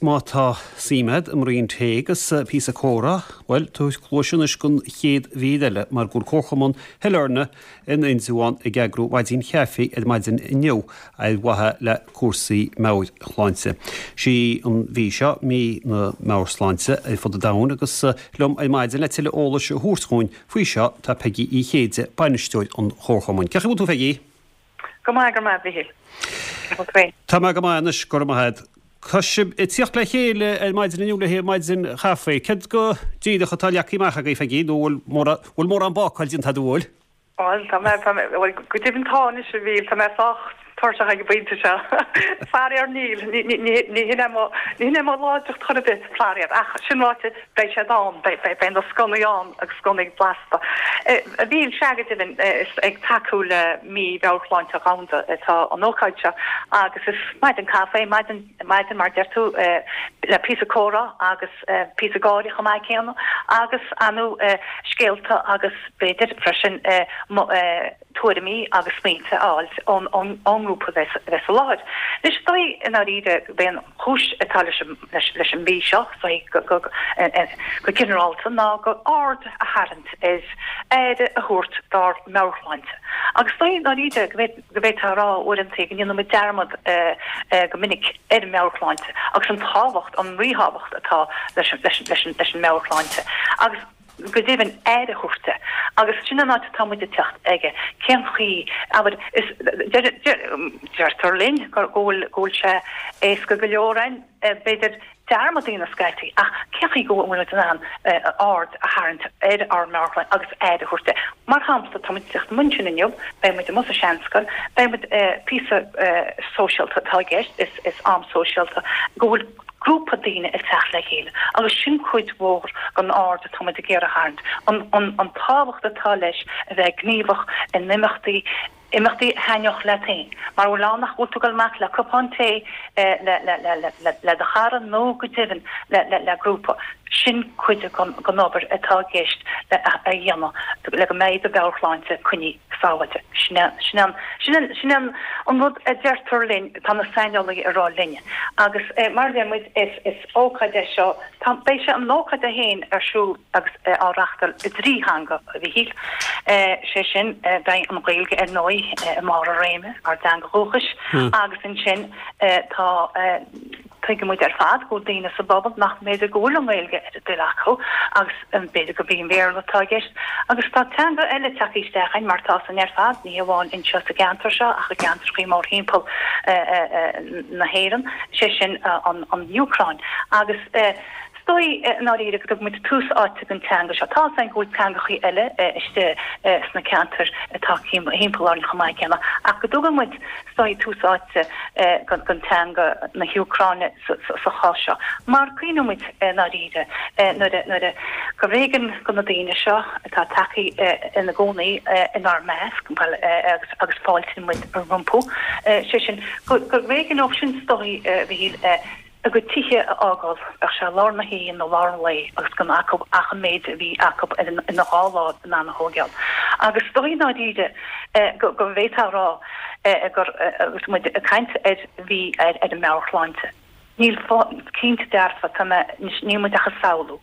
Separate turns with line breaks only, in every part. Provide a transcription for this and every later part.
Má tá suim agat i mbraon tae agus píosa comhrá, bhuel, tabhair cluais anois don chéad mhír eile mar go bhfuil Comharchumann Shailearna in Indreabhán ag eagrú maidin chaife ar maidin inniu ar mhaithe le cúrsaí meabhairshláinte. Sí an mhí seo mí na meabhairshláinte ar fud an domhain agus liom ar maidin le tuilleadh eolais a thabhairt dhúinn faoi seo tá Peigí Uí Chéide, bainisteoir an Chomharchumainn. Cén chaoi a bhfuil tú Pheigí?
Go maith, go raibh maith, a Mhichíl. Cén chaoi a bhfuil tú féin?
Tá mé go maith anois, go raibh maith agat. Tá sibh ag tíocht le chéile ar maidin inniu le haghaidh maidin chaife. Céard go díreach atá leagtha amach agaibh, Pheigí, nó bhfuil bhfuil mórán bácáil déanta agat, an bhfuil?
Bhuel, tá mé, tá mé, bhuel, go deimhin tá anois, a Mhichíl, tá mé sách tuirseach ag an bpointe seo. Faraor níl, ní, ní, ní, ní hin é mo, ní hin é mo láidreacht chor ar bith, faraor. Ach sin ráite, beidh siad ann, beidh, beidh, beidh na sconaí ann agus sconaí blasta. A Mhichíl, sea go deimhin, is ag tacú le Mí Mheabhairshláinte Dhomhanda atá an ócáid seo agus is maidin caife, maidin, maidin mar deir tú, le píosa comhrá agus píosa gáire chomh maith céanna agus ar ndóigh scéalta agus b'fhéidir freisin tuairimí agus smaointe a fháil ón ón ngrúpa a bheas a bheas i láthair. Anois is dóigh i ndáiríre gurb é an chúis atá leis an leis leis an mhí seo, is dóigh go go go ginearálta ná go aird a tharraingt ar aire a thabhairt dár meabhairshláinte. Agus is dóigh i ndáiríre go bhféad go bhféadfá a rá uaireanta go ndéanann muid dearmad go minic ar an meabhairshláinte agus an tábhacht, an ríthábhacht atá leis an leis an leis an leis an meabhairshláinte. Agus go deimhin, aire a thabhairt di. Agus sin an áit atá muid ag teacht aige. Cén chaoi, abair, is, deirtear linn go bhfuil, go bhfuil sé éasca go leor againn, b'fhéidir, dearmad a dhéanamh scaití, ach cén chaoi go bhfuil muid in ann aird a tharraingt ar ár meabhairshláinte agus aire a thabhairt di. Mar shampla, tá muid ag teacht amuigh ansin inniu, beidh muid amuigh sa seanscoil, beidh muid, píosa sóisialta atá i gceist, is, is am sóisialta, go bhfuil, grúpa daoine ag teacht le chéile agus sin cuid mhór den aird atá muid ag iarraidh a tharraingt, an tábhacht atá leis a bheith gníomhach in imeachtaí, imeachtaí a thaitneodh leat féin. Mara bhfuil ann ach go bhfuil tú ag dul amach le cupán tae le do chara nó go deimhin le grúpa, sin cuid den obair atá i gceist le a dhéanamh le go mbeidh do mheabhairshláinte coinnithe sábháilte. Sin é, sin é, sin é, sin é an rud a deirtear linn, tá na saineolaithe ag rá linne. Agus mar a deir muid, is, is ócáid é seo, tá, beidh sé, an ócáid é féin ar siúl agus á reachtáil i dtrí theanga, a Mhichíl. Sé sin, beidh an Ghaeilge ar ndóigh i mbarr a réime, ár dteanga dhúchais, agus ansin tá, Tuigeann muid ar fad go bhfuil daoine sa bpobal nach mb'fhéidir go bhfuil an Ghaeilge ar a dtoil acu agus b'fhéidir gurb í an Bhéarla atá i gceist. Agus tá teanga eile tagtha isteach againn mar tá san ar fad, ní hamháin anseo sa gceantar seo ach i gceantrachaí mórthimpeall na hÉireann, sé sin an Úcráin. Agus is dóigh i ndáiríre go dtugann muid tús áite don teanga seo. Tá 'fhios againn go bhfuil teangachaí eile istigh sna ceantair atá thimpeall orainn chomh maith céanna ach go dtugann muid is dóigh tús áite don teanga na hÚcráine sa chás seo. Mar cuimhníonn muid i ndáiríre nuair a nuair a gurbh éigean do na daoine seo atá tagtha ina gcónaí inár measc, bhuel agus agus fáiltíonn muid rompu, sé sin gurbh éigean dóibh sin is dóigh a Mhichíl, a gcuid tithe a fhágáil, bheadh sé lár na hoíche nó lár an lae agus gan acu ach an méid a bhí acu ina dhá láimh in ann a thóigeáil. Agus is dóigh i ndáiríre go bhféadfá a rá gur, agus muid ag caint ar mhí ar an meabhairshláinte, níl cinnte dearfa, tá mé, níl muid ach ag samhlú.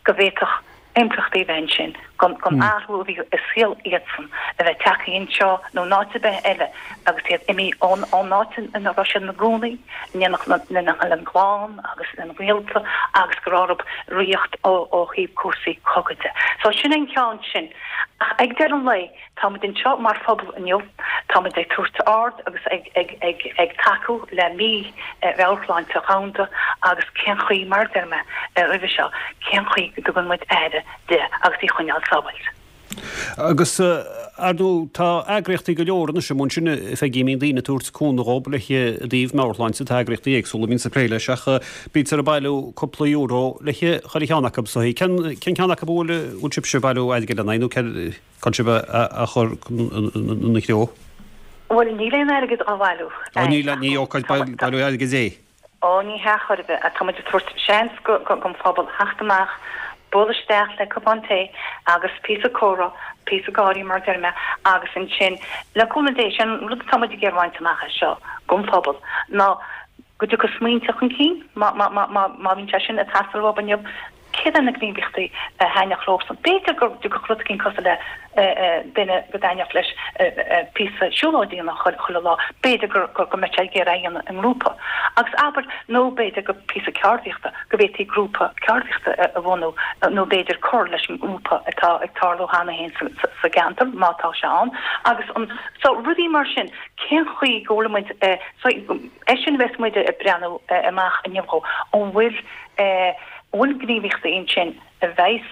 go bhféadfadh impleachtaí a bheith ansin don athrú a bhí i saol iadsan a bheith tagtha anseo nó in áit ar bith eile agus iad imithe ón ón áit ina raibh siad ina gcónaí in éineacht lena gclann agus lena ngaolta agus go raibh orthu ritheacht ó ó thaobh cúrsaí cogaidh de. So sin an ceann sin. Ach ag deireadh an lae, Táimid anseo mar phobal inniu, táimid ag tabhairt aird agus ag tacú le Mí Mheabhairshláinte Dhomhanda agus cén chaoi, mar a deir mé roimhe seo, cén chaoi go dtugann muid aire di agus í a choinneáil sábháilte.
Agus, ar ndóigh, tá eagraíochtaí go leor anois i mbun sin, a Pheigí, a mbíonn daoine ag tabhairt cúnamh dhóibh le i dtaobh meabhairshláinte, tá eagraíochtaí éagsúla a bhíonns ag plé leis ach bítear ag bailiú cúpla euro le chuile cheann acu. So, cén ceann acu a bhfuil sibhse ag bailiú airgid lena aghaidh nó cén Cá bhfuil sibh á chur ina threo?
Bhuel, níl aon airgead á bhailiú.
Ó, níl, ní ócáid bailiú airgid é.
Ó, ní hea chor ar bith. Tá muid ag tabhairt seans don phobal theacht amach, bualadh isteach le cupán tae agus píosa comhrá, píosa gáirí mar a deir mé, agus ansin, le cúnamh Dé, sin an rud atá muid ag iarraidh a bhaint amach as seo don phobal ná. Go dtiocfaidh smaointe chun cinn, má bhíonn sé sin ag teastáil uathu inniu, céard é na gníomhaíochtaí a thaitneodh leosan? B'fhéidir go dtiocfadh rud éicint cosúil le duine go dtaitneodh leis píosa siúlóid a dhéanamh chuile lá, b'fhéidir go mbeadh sé ag iarraidh é a dhéanamh i ngrúpa. Agus abair, nó b'fhéidir go píosa ceardaíochta, go bhféadfaí grúpa ceardaíochta a bhunú nó b'fhéidir cur leis an ngrúpa atá ag tarlú cheana féin sa gceantar, má tá sé ann. Agus an, so rudaí mar sin, cén chaoi go bhfuil muid, so é sin a bheas muid ag breathnú amach inniu dhó, an bhfuil, an bhfuil gníomhaíochtaí ansin a bheas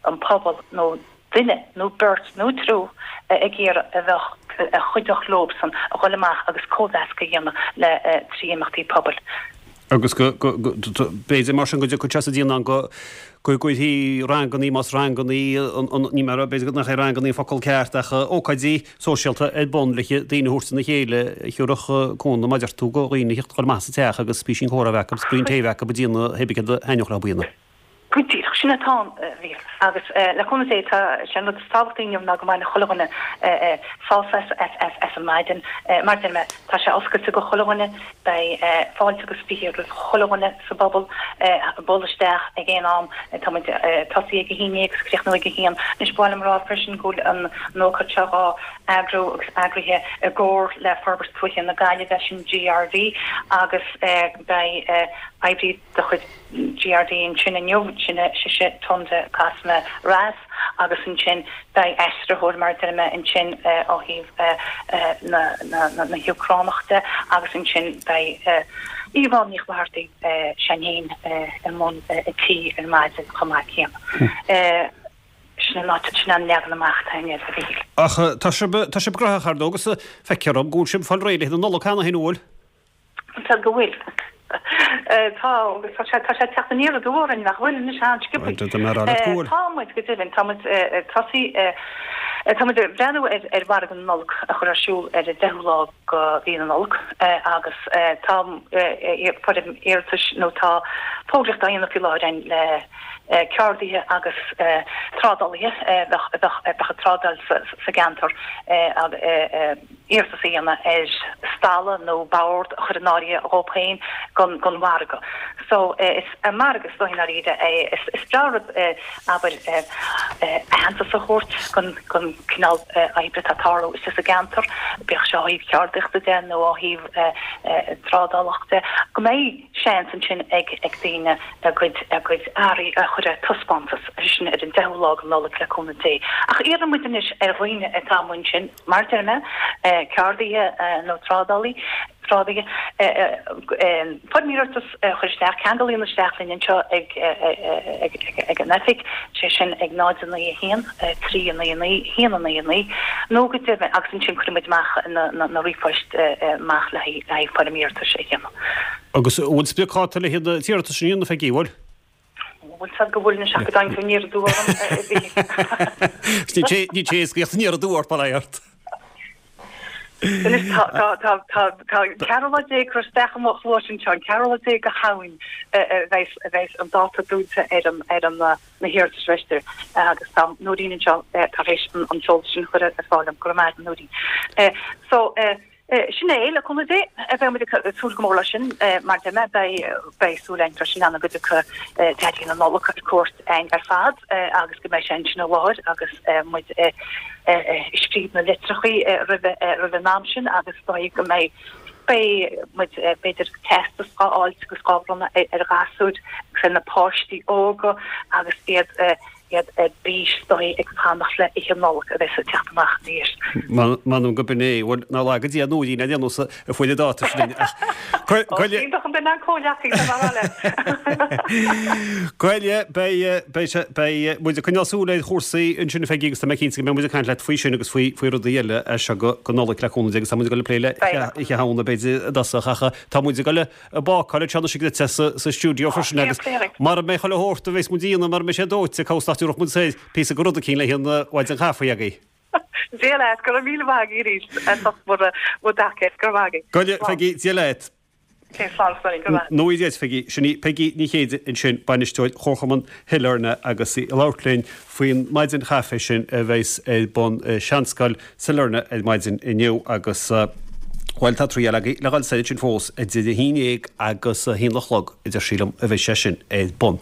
an pobal nó duine nó beirt nó triúr ag iarraidh a bheadh, a chuideodh leobsan a dhul amach agus cóimheascadh a dhéanamh le trí imeachtaí pobail.
Agus go, go, go, b'fhéidir mar sin go dtiocfadh sé sa déanamh go, go gcuirfí rangannaí, más rangannaí, an, an, ní mar, b'fhéidir nach é rangannaí an focal ceart ach ócáidí sóisialta ar bun le daoine a thabhairt ina chéile a thiúrfadh cúnamh, mar a deir tú, do dhaoine a theacht chomh maith sa teach agus písín comhrá a bheith acu, is braon tae a bheith acu ag déanamh pé bith céard a thaitneodh leo a dhéanamh.
Go díreach, sin atá ann, a Mhíchíl. Agus le cúnamh Dé, tá sé an rud is tábhachtaí inniu ná go mbainfidh chuile dhuine sásamh as an maidin. Mar a deir mé, tá sé oscailte go chuile dhuine, beidh fáilte agus 20 roimh chuile dhuine sa bpobal bualadh isteach ag aon am. Tá muid ag tosaí ag a haon déag agus críochnú ag a haon. Anois, ba mhaith liom a rá freisin go bhfuil an ócáid seo dhá eagrú agus eagraithe i gcomhar le Forbairt Tuaithe na Gaillimhe, sin GRD, agus beidh oibrí de chuid GRD ansin inniu, sin sise Tunde Cosma Ras agus ansin beidh aistritheoir mar a deir mé ansin ó thaobh na hÚcránach de agus ansin beidh Yvonne Ní Chlochartaigh sin féin i mbun a tí ar maidin chomh maith céanna. Sin an áit, sin an leagan amach atá againn air, a Mhíchíl.
Ach tá sibh, tá sibh graitheach ar ndóigh agus feictear dom go bhfuil sibh ag fáil réidh le haghaidh na Nollag cheana féin, an bhfuil?
Tá go bhfuil. Tá, agus tá sé, tá sé ag teacht aniar aduaidh orainn, nach bhfuil anois an-sciobthaí.
Tá mé ag rá leat go bhfuil.
Tá muid, go deimhin, tá muid ag tosaí, tá muid ag breathnú ar, ar mhargadh na Nollag a chur ar siúl ar an 10ú lá de mhí na Nollag agus tá foirm iarratais nó tá fógraíocht á dhéanamh faoi láthair againn le ceardaithe agus trádálaithe a bheadh, a bheadh, a bheadh ag trádáil sa, sa gceantar. iarratas a dhéanamh ar stalla nó bord a chur in áirithe dhóibh féin don mhargadh. So is margadh is dóigh i ndáiríre é. Is breá an rud abair aitheantas a thabhairt don cineál oibre atá ag tarlú istigh sa gceantar, bíodh sé ó thaobh ceardaíochta de nó ó thaobh trádálach de, go mbeidh seans ansin ag daoine a gcuid a gcuid earraí a chur ar taispeántas, sin ar an 10ú lá de Nollaig le cúnamh Dé. Ach iarrann muid anois ar dhaoine atá amuigh ansin, Mar a deir mé, ceardaithe nó trádálaí, trádaithe, foirm iarratais a chur isteach, ceangal a dhéanamh isteach linn anseo ag ag an oifig, sé sin ag 0 9 1 3 9 9 1 9 9, nó go deimhin, agus ansin cuirfidh muid amach na ríomhphoist amach le haghaidh foirm iarratais a dhéanamh.
Agus an bhfuil spriocdháta le haghaidh an t-iarratas sin a dhéanamh, a Pheigí, an bhfuil?
Bhfuil fhios go bhfuil anois ach go dtáinig tú aniar aduaidh orm, a Mhíchíl.
Ní té éascaíocht aniar aduaidh ort, bail ó Dhia ort.
Anois tá tá tá tá tá ceathrú lá déag curtha isteach i mo chluais anseo, an ceathrú lá déag de Shamhain a bheas a bheas an dáta dúnta ar an ar an na hiarratais b'fhéidir agus tá Nóirín anseo tar éis an an t-eolas sin a chur ar fáil dom, go raibh maith agat Nóirín. So Sin é, le cúnamh Dé, beidh muid ag súil go mór leis sin. Mar a deir mé, beidh súil againn freisin ann go dtiocfaidh Daidí na Nollag ar cuairt againn ar fad agus go mbeidh sé ansin i láthair agus muid ag scríobh na litreachaí roimh an am sin agus is dóigh go mbeidh beidh muid b'fhéidir teastas dhá fháilt agus dhá bhronnadh ar ghasúir agus ar na páistí óga agus iad iad ar bís is dóigh ag fanacht le Oíche Nollag a bheas ag teacht amach aniar.
M'anam go b'in é. Bhuel, ná laga Dia Nóirín ar aon nós a fuair an dáta sin ach
Ó, iontach an duine an comhghleacaí tá mé le.
Goile, beidh, beidh sé, beidh muid ag coinneáil súil ar chúrsaí ansin a Pheigí agus tá mé cinnte go mbeidh muid ag caint leat faoi sin agus faoi, faoi rudaí eile as seo go, go Nollaig le cúnamh Dé agus tá muid ag dul ag plé le Oíche Shamhna b'fhéidir i dtosach ach tá muid ag dul ag bácáil anseo anois duitse sa stiúideo freisin agus mara mbeidh chuile shórt a bheas muid a dhéanamh mara mbeidh sé dóite cá bhfios nach dtabharfadh muid soir píosa de rud eicínt le haghaidh an mhaidin chaife agaibh.
Dia leat, go raibh míle maith agaibh arís as ucht bhur dtacaíocht, go raibh maith agaibh.
Go raibh, Pheigí, Dia leat.
Cé slán slán, go raibh.
Nóirí duit, Pheigí. Sin í Peigí Ní Chéide ansin, bainisteoir Chomharchumann Shailearna agus í ag labhairt linn faoin maidin chaife sin a bheas ar bun i Seanscoil Sailearna ar maidin inniu agus. Bhuel, tá triail agaibh le dhul soir ansin fós idir a haon dhéag agus a haon a chlog, a deir sí liom, a bheidh sé sin ar bun.